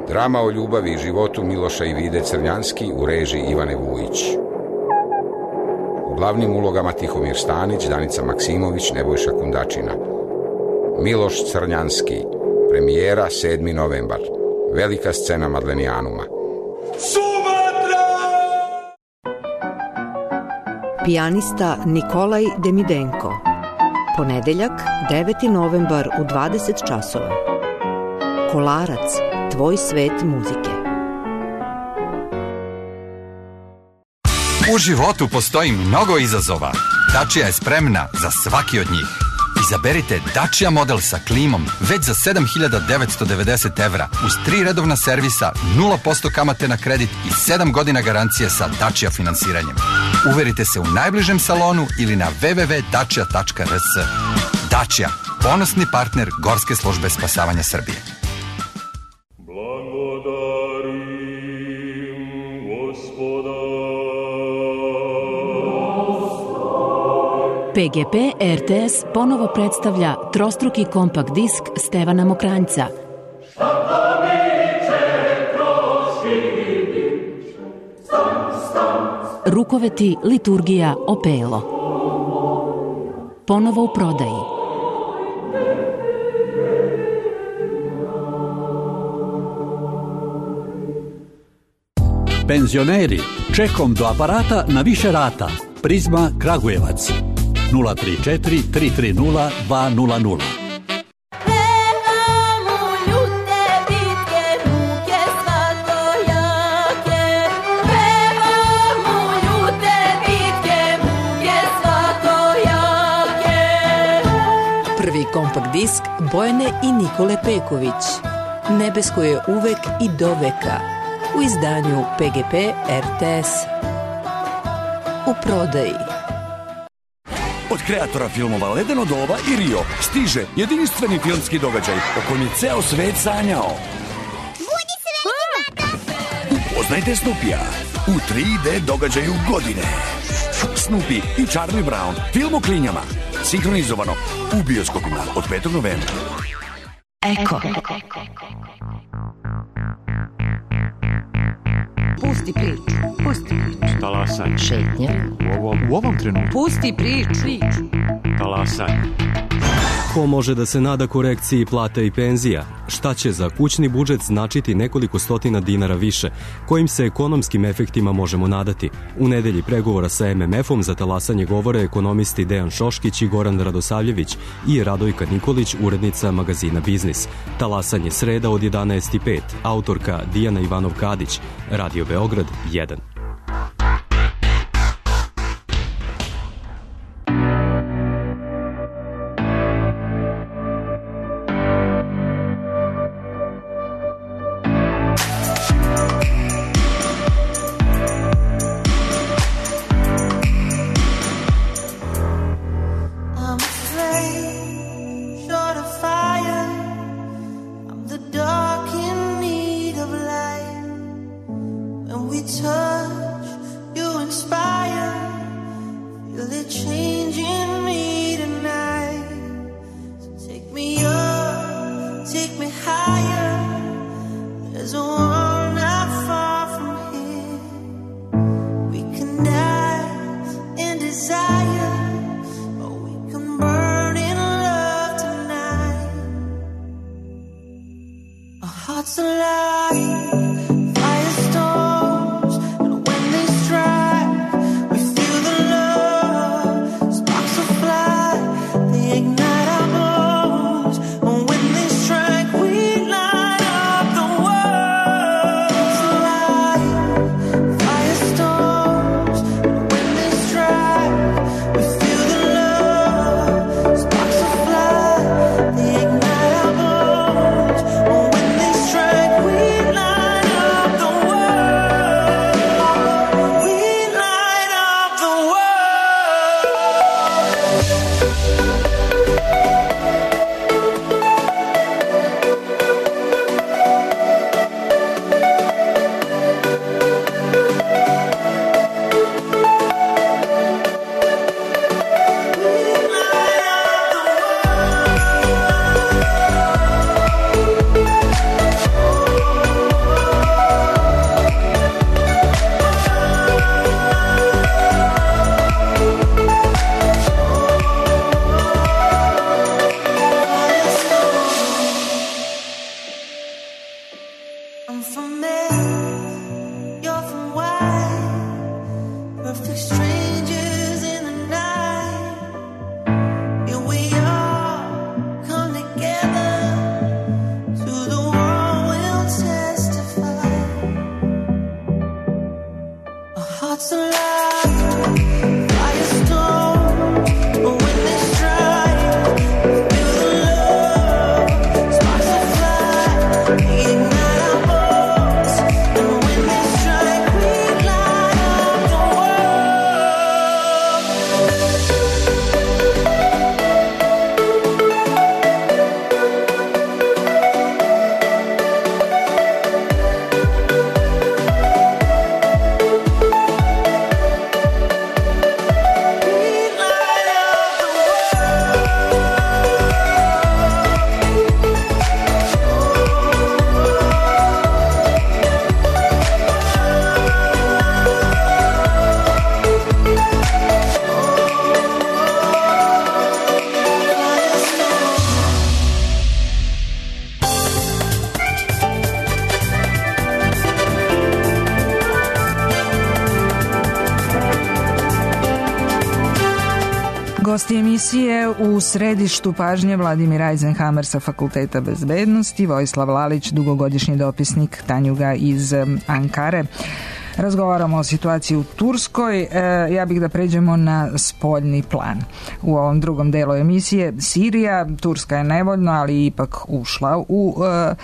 Drama o ljubavi i životu Miloša i Vide Crnjanski u režiji Ivane Vujić. U glavnim ulogama Tihomir Stanić, Danica Maksimović, Nebojša Kundačina. Miloš Crnjanski, premijera sedmi novembar. Velika scena Madlenijanuma. Sumatra! Pijanista Nikolaj Demidenko. Ponedeljak, deveti novembar u dvadeset časova. Kolarac, tvoj svet muzike. U životu postoji mnogo izazova. Dacia je spremna za svaki od njih. Izaberite Dacia model sa klimom već za sedam hiljada devetsto devedeset evra uz tri redovna servisa, nula posto kamate na kredit i sedam godina garancije sa Dacia finansiranjem. Uverite se u najbližem salonu ili na w w w tačka dacia tačka r s. Dacia, ponosni partner Gorske službe spasavanja Srbije. P G P R T S ponovo predstavlja trostruki kompakt disk Stevana Mokranjca. Rukoveti, liturgija, opelo. Ponovo u prodaji. Penzioneri, čekom do aparata na više rata. Prizma Kragujevac. nula tri četiri tri tri nula dva nula nula. Prvi kompakt disk Bojane i Nikole Peković. Nebesko je uvek i do veka. U izdanju P G P R T S. U prodaji. Od kreatora filmova Ledeno doba i Rio stiže jedinstveni filmski događaj o kojem je ceo svet sanjao. Budi srećni, baka! Upoznajte Snoopija u tri D događaju godine. Snoopy i Charlie Brown, film o klinjama. Sinhronizovano u bioskopima od petog novembra. Eko. Pusti priču, pusti priču. Talasanje. Šetnje. U ovom, u ovom trenutku. Pusti priču. Talasanje. Ko može da se nada korekciji plata i penzija? Šta će za kućni budžet značiti nekoliko stotina dinara više? Kojim se ekonomskim efektima možemo nadati? U nedelji pregovora sa M M F-om za talasanje govore ekonomisti Dejan Šoškić i Goran Radosavljević i Radojka Nikolić, urednica magazina Biznis. Talasanje sreda od jedanaest i pet. Autorka Dijana Ivanov-Kadić. Radio Beograd jedan. Feel it changing me tonight. So take me up, take me higher. There's a world not far from here. We can dance in desire, or we can burn in love tonight. Our hearts alive. Gosti emisije u središtu pažnje Vladimir Eisenhammer sa Fakulteta bezbednosti, Vojislav Lalić, dugogodišnji dopisnik Tanjuga iz Ankare. Razgovaramo o situaciji u Turskoj. E, ja bih da pređemo na spoljni plan. U ovom drugom delu emisije Sirija, Turska je nevoljno, ali ipak ušla u e,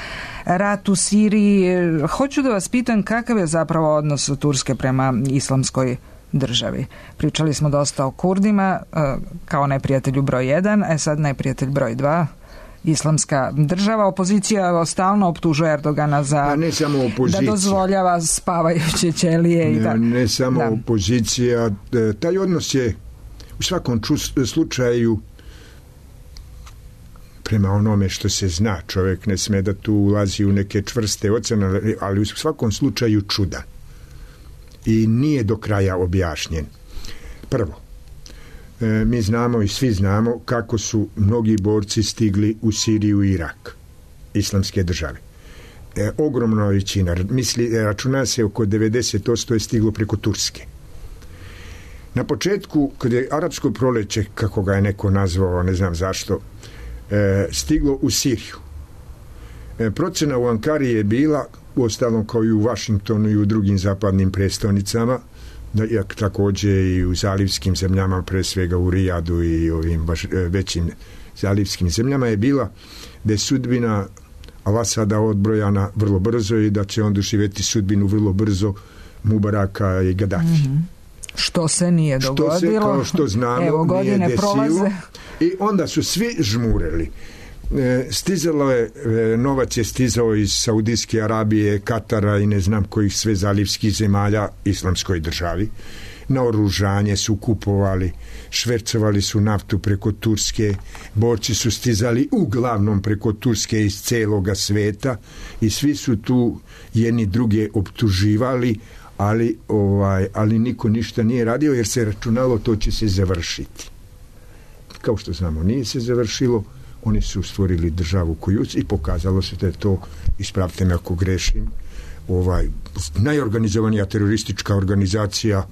rat u Siriji. Hoću da vas pitam kakav je zapravo odnos Turske prema islamskoj državi. Pričali smo dosta o Kurdima e, kao neprijatelju broj jedan, a sad neprijatelj broj dva. Islamska država. Opozicija stalno optužuje Erdogana za ja, ne samo opozicija, da dozvoljava spavajuće ćelije. Ne, i da, ne samo da. opozicija. Taj odnos je u svakom slučaju, prema onome što se zna, čovjek ne sme da tu ulazi u neke čvrste ocene, ali u svakom slučaju čudan. I nije do kraja objašnjen. Prvo, E, mi znamo i svi znamo kako su mnogi borci stigli u Siriju i Irak, islamske države. E, ogromna većina, misli, računa se oko devedeset posto je stiglo preko Turske. Na početku, kada je arapsko proleće, kako ga je neko nazvao, ne znam zašto, e, stiglo u Siriju. E, procena u Ankari je bila, uostalom kao i u Vašingtonu i u drugim zapadnim prestonicama, da, jak također i u zalivskim zemljama, pre svega u Rijadu i ovim baš većim zalivskim zemljama, je bila da je sudbina Al-Asada odbrojana vrlo brzo i da će on doživjeti sudbinu vrlo brzo Mubaraka i Gaddafi. Mm-hmm. Što se nije dogodilo. Što se, kao što znamo, evo, godine nije desilo. Prolaze. I onda su svi žmureli. E, stizalo je, e, novac je stizao iz Saudijske Arabije, Katara i ne znam kojih sve zalivskih zemalja islamskoj državi. naoružanje su kupovali, švercovali su naftu preko Turske, borci su stizali uglavnom preko Turske iz celoga sveta i svi su tu jedni druge optuživali, ali, ovaj, ali niko ništa nije radio jer se računalo to će se završiti. Kao što znamo, nije se završilo, oni su stvorili državu koju i pokazalo se da je to, ispravite me ako grešim, ovaj, najorganizovanija teroristička organizacija,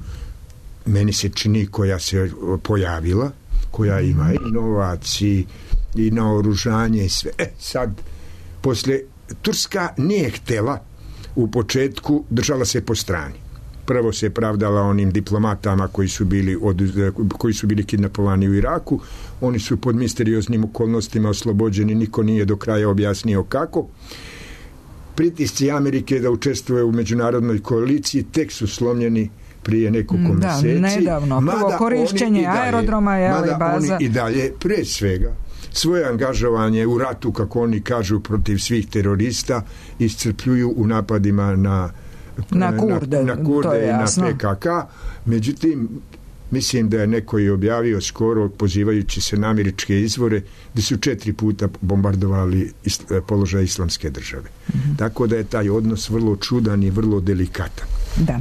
meni se čini, koja se pojavila, koja ima i novac i, i naoružanje i sve. E, sad, posle, Turska nije htela u početku, držala se po strani. Prvo se pravdala onim diplomatama koji su bili, od, koji su bili kidnapovani u Iraku. Oni su pod misterioznim okolnostima oslobođeni, niko nije do kraja objasnio kako. Pritisci Amerike da učestvuje u međunarodnoj koaliciji tek su slomljeni prije nekoliko da, mjeseci. Nedavno. Prvo korišćenje aerodroma je ali baza. Oni i dalje, pre svega, svoje angažovanje u ratu, kako oni kažu, protiv svih terorista iscrpljuju u napadima na na Kurde, na, na Kurde i na P K K. Međutim, mislim da je neko i objavio skoro, pozivajući se na američke izvore, da su četiri puta bombardovali is, položaj islamske države. Mm-hmm. Tako da je taj odnos vrlo čudan i vrlo delikatan. Da.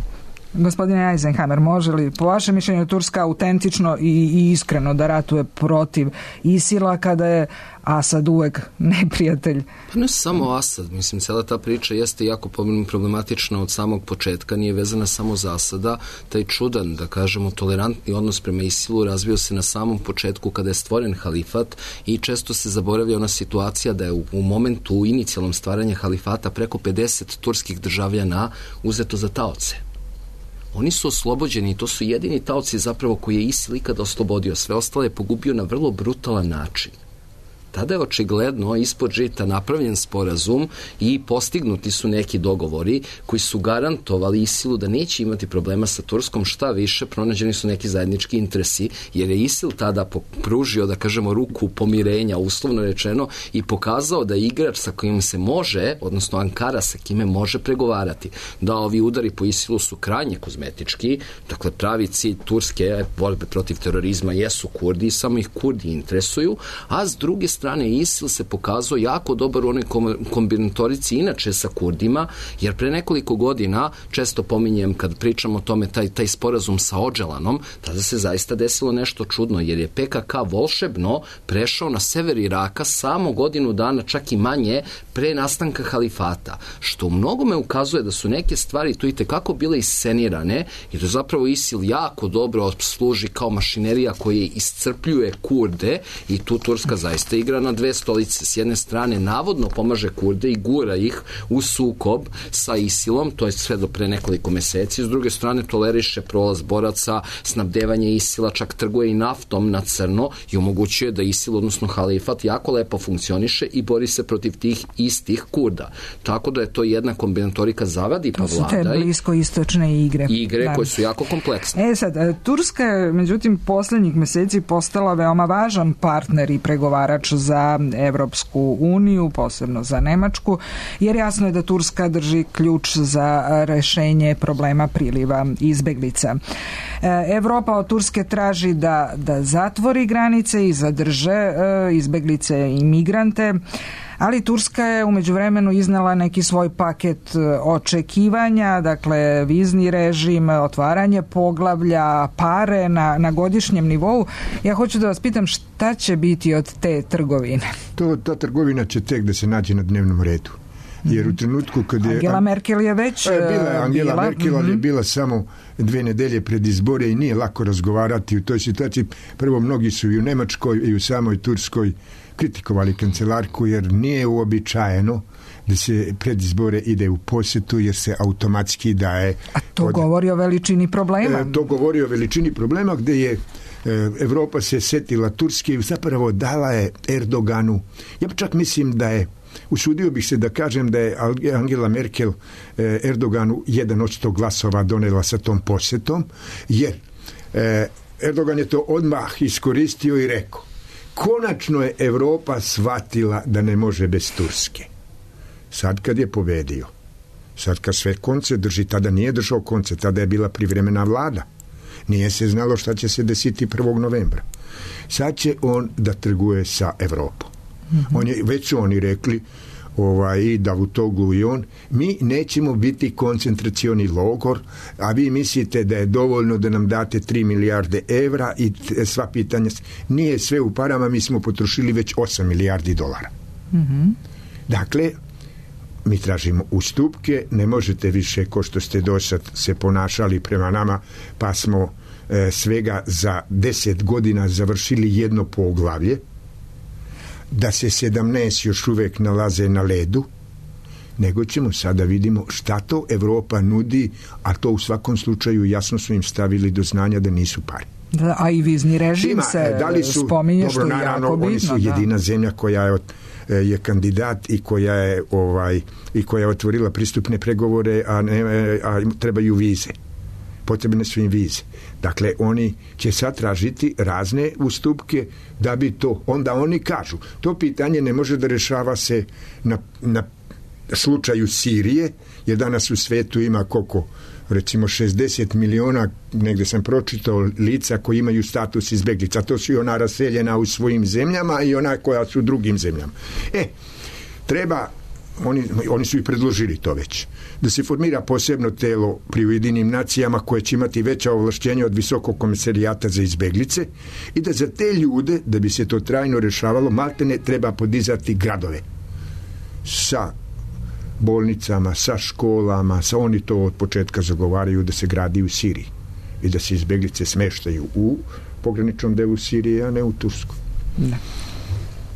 Gospodine Eisenhammer, može li po vašem mišljenju Turska autentično i, i iskreno da ratuje protiv ISIL-a kada je Asad uvek neprijatelj? Pa ne samo Asad, mislim, cijela ta priča jeste jako problematična od samog početka, nije vezana samo za Asada, taj čudan, da kažemo, tolerantni odnos prema ISIL-u razvio se na samom početku kada je stvoren halifat i često se zaboravlja ona situacija da je u, u momentu u inicijalnom stvaranja halifata preko pedeset turskih državljana uzeto za taoce. Oni su oslobođeni i to su jedini taoci zapravo koji je ISIL ikada oslobodio. Sve ostale je pogubio na vrlo brutalan način. Tada je očigledno ispod žita napravljen sporazum i postignuti su neki dogovori koji su garantovali ISIL-u da neće imati problema sa Turskom, šta više, pronađeni su neki zajednički interesi, jer je ISIL tada pružio, da kažemo, ruku pomirenja, uslovno rečeno, i pokazao da je igrač sa kojim se može, odnosno Ankara sa kime može pregovarati. Da, ovi udari po ISIL-u su krajnje kozmetički, dakle pravi cilj Turske borbe protiv terorizma jesu Kurdi, samo ih Kurdi interesuju, a s druge strane ISIL se pokazao jako dobar u onoj kombinatorici inače sa Kurdima, jer pre nekoliko godina, često pominjem kad pričam o tome, taj, taj sporazum sa Odželanom, tada se zaista desilo nešto čudno, jer je P K K volšebno prešao na sever Iraka samo godinu dana, čak i manje, pre nastanka halifata, što u mnogome ukazuje da su neke stvari tu i tekako bile iscenirane i da zapravo ISIL jako dobro služi kao mašinerija koja iscrpljuje Kurde i tu Turska zaista igra na dve stolice. S jedne strane navodno pomaže Kurde i gura ih u sukob sa ISIL-om, to je sve do pre nekoliko meseci, s druge strane toleriše prolaz boraca, snabdevanje ISIL-a, čak trguje i naftom na crno i omogućuje da ISIL, odnosno halifat, jako lepo funkcioniše i bori se protiv tih istih Kurda. Tako da je to jedna kombinatorika zavadi pa vladaj. To su te bliskoistočne igre. Igre da. Koje su jako kompleksne. E sad, Turska je međutim poslednjih meseci postala veoma važan partner i pregovarač za Evropsku uniju, posebno za Nemačku, jer jasno je da Turska drži ključ za rešenje problema priliva izbeglica. Evropa od Turske traži da, da zatvori granice i zadrže izbeglice i migrante, ali Turska je u međuvremenu iznala neki svoj paket očekivanja, dakle vizni režim, otvaranje poglavlja, pare na, na godišnjem nivou. Ja hoću da vas pitam šta će biti od te trgovine? To, ta trgovina će tek da se nađe na dnevnom redu. Jer u trenutku kad je... Angela Merkel je već... E, bila je Angela bila, Merkel, ali mm-hmm. je bila samo dve nedelje pred izbore i nije lako razgovarati u toj situaciji. Prvo, mnogi su i u Nemačkoj i u samoj Turskoj kritikovali kancelarku, jer nije uobičajeno da se pred izbore ide u posjetu, jer se automatski daje... A to od... govori o veličini problema. E, to govori o veličini problema, gde je e, Evropa se setila Turske i zapravo dala je Erdoganu. Ja čak mislim da je, usudio bih se da kažem da je Angela Merkel e, Erdoganu jedan od sto glasova donela sa tom posjetom, jer e, Erdogan je to odmah iskoristio i rekao: konačno je Evropa shvatila da ne može bez Turske. Sad kad je pobedio, sad kad sve konce drži, tada nije držao konce, tada je bila privremena vlada. Nije se znalo šta će se desiti prvog novembra. Sad će on da trguje sa Evropom. Mm-hmm. On je, već su oni rekli, ovaj, i Davutoglu i on, mi nećemo biti koncentracioni logor, a vi mislite da je dovoljno da nam date tri milijarde evra i sva pitanja. Nije sve u parama, mi smo potrošili već osam milijardi dolara. Mm-hmm. Dakle, mi tražimo ustupke, ne možete više ko što ste do sad se ponašali prema nama, pa smo e, svega za deset godina završili jedno poglavlje, da se sedamnaest još uvek nalaze na ledu, nego ćemo sada vidimo šta to Evropa nudi, a to u svakom slučaju jasno su im stavili do znanja da nisu pari. Da, a i vizni režim Ima, se da li su, spominje dobro, što je naravno, jako bitno. Oni su da. jedina zemlja koja je, je kandidat i koja je ovaj i koja je otvorila pristupne pregovore, a, ne, a trebaju vize. Potrebne su im vize. Dakle, oni će sad tražiti razne ustupke da bi to, onda oni kažu, to pitanje ne može da rešava se na, na slučaju Sirije, jer danas u svetu ima koliko, recimo šezdeset miliona, negde sam pročitao, lica koji imaju status izbeglica. To su i ona raseljena u svojim zemljama i ona koja su u drugim zemljama. E, treba, oni, oni su i predložili to već, da se formira posebno telo pri Ujedinjenim nacijama koje će imati veća ovlašćenja od Visokog komesarijata za izbeglice i da za te ljude, da bi se to trajno rešavalo, maltene treba podizati gradove sa bolnicama, sa školama, sa oni to od početka zagovaraju da se gradi u Siriji i da se izbeglice smeštaju u pograničnom delu Sirije, a ne u Tursku. Da.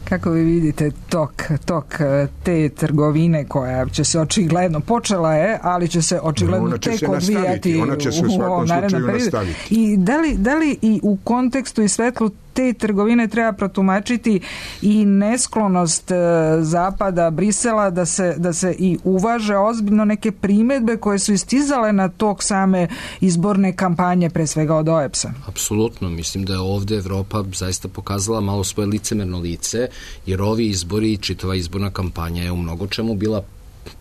Kako vi vidite tok, tok te trgovine koja će se očigledno, počela je, ali će se očigledno će tek se odvijati ona će se u svakom slučaju nastaviti. I da li, da li i u kontekstu i svetlu te trgovine treba protumačiti i nesklonost Zapada, Brisela da se, da se i uvaže ozbiljno neke primedbe koje su istizale na tok same izborne kampanje, pre svega od O E B S-a? Apsolutno, mislim da je ovde Evropa zaista pokazala malo svoje licemerno lice, jer ovi izbori i čitava izborna kampanja je u mnogo čemu bila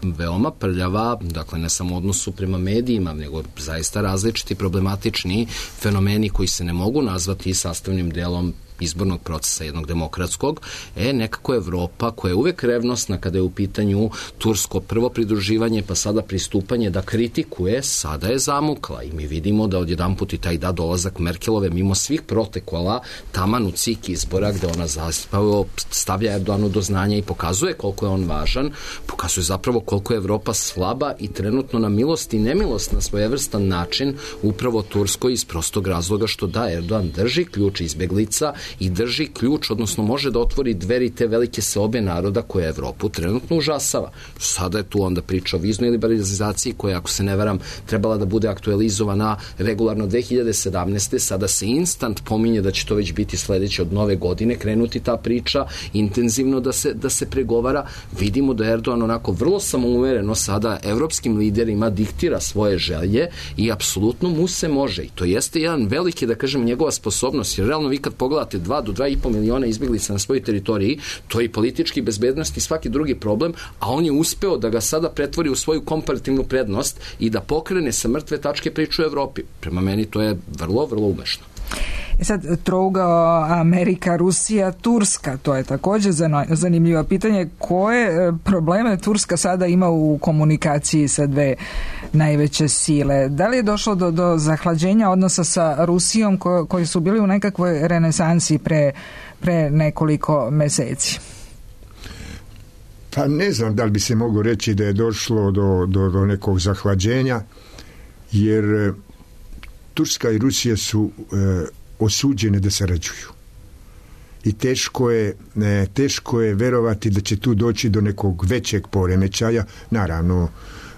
veoma prljava, dakle ne samo odnosu prema medijima, nego zaista različiti problematični fenomeni koji se ne mogu nazvati sastavnim delom izbornog procesa jednog demokratskog, e, nekako Evropa koja je uvek revnosna kada je u pitanju tursko prvo pridruživanje pa sada pristupanje da kritikuje, sada je zamukla i mi vidimo da odjedanput i taj da dolazak Merkelove mimo svih protokola taman u cik izbora gde ona zaspavo stavlja Erdoganu do znanja i pokazuje koliko je on važan, pokazuje zapravo koliko je Evropa slaba i trenutno na milost i nemilost na svojevrstan način upravo Turskoj iz prostog razloga što da Erdogan drži ključ izbeglica i drži ključ, odnosno može da otvori dveri te velike seobe naroda koja Evropu trenutno užasava. Sada je tu onda priča o viznoj liberalizaciji koja, ako se ne varam, trebala da bude aktualizovana regularno dve hiljade sedamnaeste. Sada se instant pominje da će to već biti sledeće od nove godine, krenuti ta priča, intenzivno da se, da se pregovara. Vidimo da Erdogan onako vrlo samouvereno sada evropskim liderima diktira svoje želje i apsolutno mu se može. I to jeste jedan veliki, da kažem, njegova sposobnost, jer realno vi kad pogledate dva do dva i po miliona izbeglica na svojoj teritoriji, to je i politički bezbednost i svaki drugi problem, a on je uspeo da ga sada pretvori u svoju komparativnu prednost i da pokrene sa mrtve tačke priču u Evropi. Prema meni to je vrlo, vrlo umešno. E sad, trougao Amerika, Rusija, Turska, to je također zanimljivo pitanje. Koje probleme Turska sada ima u komunikaciji sa dve najveće sile? Da li je došlo do, do zahlađenja odnosa sa Rusijom ko, koji su bili u nekakvoj renesansi pre, pre nekoliko meseci? Pa ne znam da li bi se moglo reći da je došlo do, do, do nekog zahlađenja, jer Turska i Rusija su e, osuđene da sarađuju. I teško je, ne, teško je verovati da će tu doći do nekog većeg poremećaja. Naravno,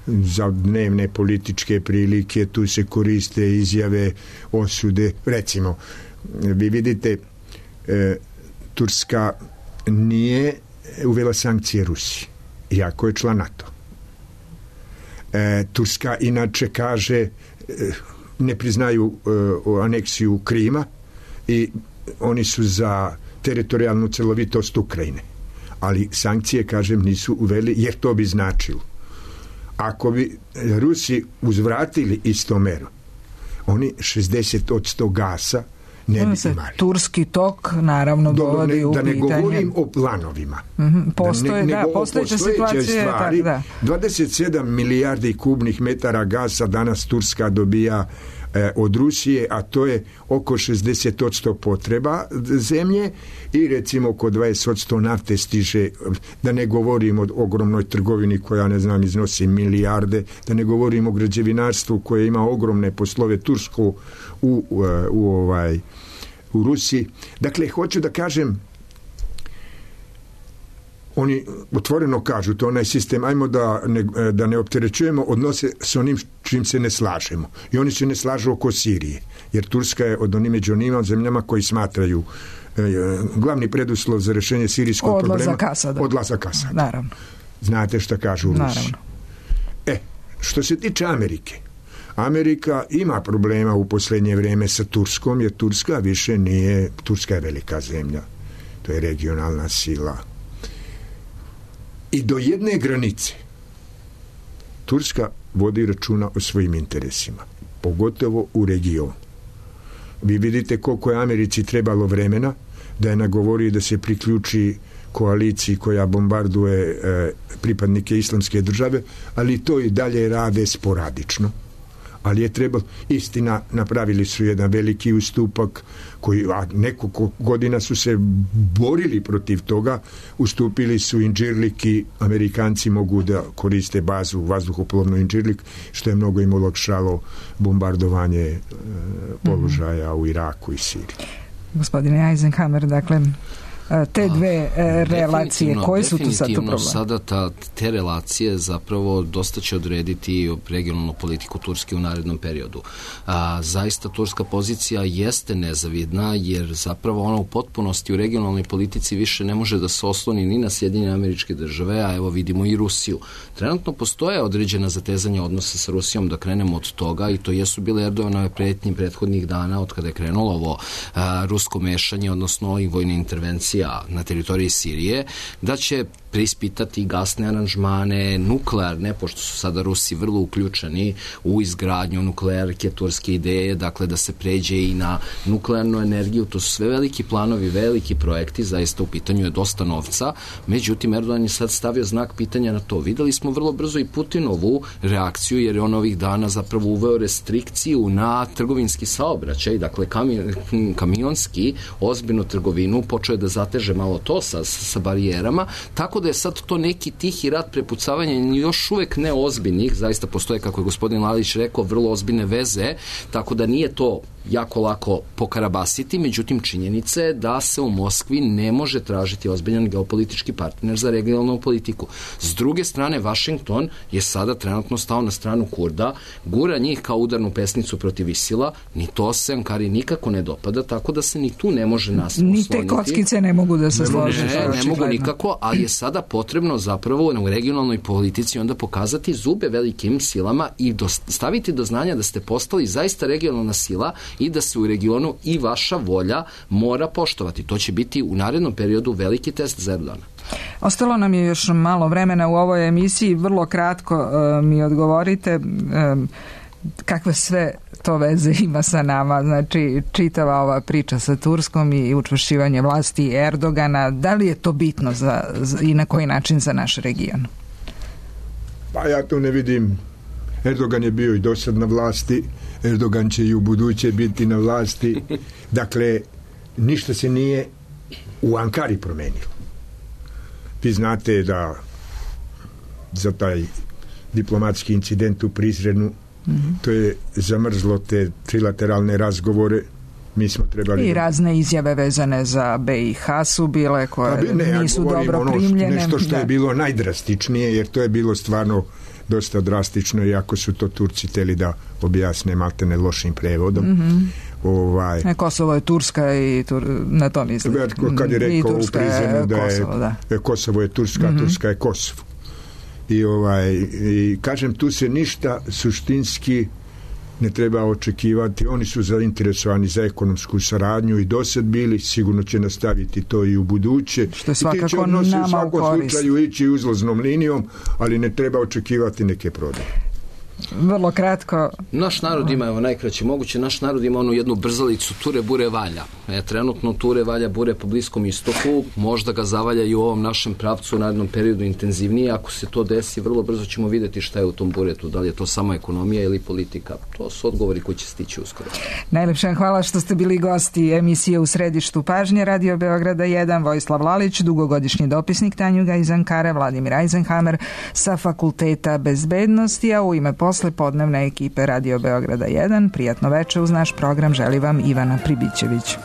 za dnevne političke prilike tu se koriste izjave, osude. Recimo, vi vidite, e, Turska nije uvela sankcije Rusiji, iako je član NATO. E, Turska inače kaže e, ne priznaju uh, aneksiju Krima i oni su za teritorijalnu celovitost Ukrajine. Ali sankcije, kažem, nisu uveli, jer to bi značilo. Ako bi Rusi uzvratili isto meru, oni šezdeset posto gasa ne bi imali. Turski tok naravno dovodi u da ne pitanje. govorim o planovima. Mm-hmm. Postoje, da, ne, da, postojeće situacije. Stvari, tak, da. dvadeset sedam milijardi kubnih metara gasa danas Turska dobija e, od Rusije, a to je oko šezdeset posto potreba zemlje i recimo oko dvadeset posto nafte stiže, da ne govorim o ogromnoj trgovini koja, ne znam, iznosi milijarde, da ne govorim o građevinarstvu koje ima ogromne poslove Tursku u, u, u ovaj u Rusiji. Dakle, hoću da kažem, oni otvoreno kažu, to onaj sistem, ajmo da ne, da ne opterećujemo odnose s onim čim se ne slažemo. I oni se ne slažu oko Sirije, jer Turska je od onih među onima zemljama koji smatraju e, glavni preduslov za rešenje sirijskog odlazak problema Asada. odlazak Asada. Naravno. Znate šta kažu u Rusiji. Naravno. E, što se tiče Amerike, Amerika ima problema u posljednje vrijeme sa Turskom, jer Turska više nije, Turska je velika zemlja, to je regionalna sila. I do jedne granice Turska vodi računa o svojim interesima, pogotovo u regionu. Vi vidite koliko je Americi trebalo vremena da je nagovori da se priključi koaliciji koja bombarduje e, pripadnike islamske države, ali to i dalje rade sporadično. Ali je trebalo, istina, napravili su jedan veliki ustupak koji, a nekoliko godina su se borili protiv toga, ustupili su Inđirlik i Amerikanci mogu da koriste bazu vazduhoplovnu Inđirlik, što je mnogo im olakšalo bombardovanje e, položaja mm-hmm. u Iraku i Siriji. Gospodine Eisenhammer, dakle, te dve e, relacije, koje su tu sad tu problem? Sada ta, te relacije zapravo dosta će odrediti regionalnu politiku Turske u narednom periodu. A, zaista turska pozicija jeste nezavidna, jer zapravo ona u potpunosti u regionalnoj politici više ne može da se osloni ni na Sjedinjene Američke Države, a evo vidimo i Rusiju. Trenutno postoje određena zatezanja odnosa sa Rusijom, da krenemo od toga, i to jesu bile Erdoganove pretnje prethodnih dana od kada je krenulo ovo a, rusko mešanje, odnosno i vojne intervencije na teritoriji Sirije, da će preispitati gasne aranžmane, nuklearne, pošto su sada Rusi vrlo uključeni u izgradnju nuklearke, turske ideje, dakle da se pređe i na nuklearnu energiju. To su sve veliki planovi, veliki projekti, zaista u pitanju je dosta novca, međutim Erdogan je sad stavio znak pitanja na to. Videli smo vrlo brzo i Putinovu reakciju, jer je on ovih dana zapravo uveo restrikciju na trgovinski saobraćaj, dakle kamion, kamionski, ozbiljnu trgovinu, počeo je da zateže malo to sa, sa barijerama, tako da je sad to neki tihi rat prepucavanja još uvek neozbiljnih, zaista postoje, kako je gospodin Lalić rekao, vrlo ozbiljne veze, tako da nije to jako lako pokarabasiti, međutim činjenica je da se u Moskvi ne može tražiti ozbiljan geopolitički partner za regionalnu politiku. S druge strane, Vašington je sada trenutno stao na stranu Kurda, gura njih kao udarnu pesnicu protiv Isila, ni to se Ankari nikako ne dopada, tako da se ni tu ne može nas osloniti. Ni te kockice ne mogu da se slože. Ne, ne mogu nikako, ali je sada potrebno zapravo u regionalnoj politici onda pokazati zube velikim silama i staviti do znanja da ste postali zaista regionalna sila i da se u regionu i vaša volja mora poštovati. To će biti u narednom periodu veliki test za Erdogana. Ostalo nam je još malo vremena u ovoj emisiji. Vrlo kratko uh, mi odgovorite um, kakve sve to veze ima sa nama, znači čitava ova priča sa Turskom i učvršćivanje vlasti Erdogana, da li je to bitno za, za, i na koji način za naš region? Pa ja to ne vidim. Erdogan je bio i dosad na vlasti, Erdogan će i u buduće biti na vlasti, dakle ništa se nije u Ankari promenilo. Vi znate da za taj diplomatski incident u Prizrenu, mm-hmm. to je zamrzlo te trilateralne razgovore. Mi smo trebali... I razne izjave vezane za B i H su bile koje bi, ne, nisu ja dobro ono primljene. Nešto što da. je bilo najdrastičnije, jer to je bilo stvarno dosta drastično, iako su to Turci teli da objasne maltene lošim prevodom. Mm-hmm. Ovaj, e, Kosovo je Turska i tur, na to mislim. Kad je rekao u Prizrenu da je Kosovo, da. Kosovo je Turska, mm-hmm. Turska je Kosovo. I, ovaj, i kažem, tu se ništa suštinski ne treba očekivati. Oni su zainteresovani za ekonomsku saradnju i dosad bili, sigurno će nastaviti to i u buduće. Što je svakako nama u korist. U svakom slučaju ići uzlaznom linijom, ali ne treba očekivati neke prodaje. Vrlo kratko. Naš narod ima, evo najkraće moguće, naš narod ima onu jednu brzalicu ture, bure, valja. E, trenutno ture, valja, bure po Bliskom istoku, možda ga zavalja i u ovom našem pravcu u narednom periodu intenzivnije. Ako se to desi, vrlo brzo ćemo vidjeti šta je u tom buretu, da li je to samo ekonomija ili politika. To su odgovori koji će stići uskoro. Najlepša hvala što ste bili gosti emisije U središtu pažnje Radio Beograda jedan, Vojislav Lalić, dugogodišnji dopisnik Tanjuga iz Ankare, Vladimir Eisenhammer sa Fakulteta bezbednosti, a u ime posle podnevne ekipe Radio Beograda jedan, prijatno veče uz naš program želi vam Ivana Pribićević.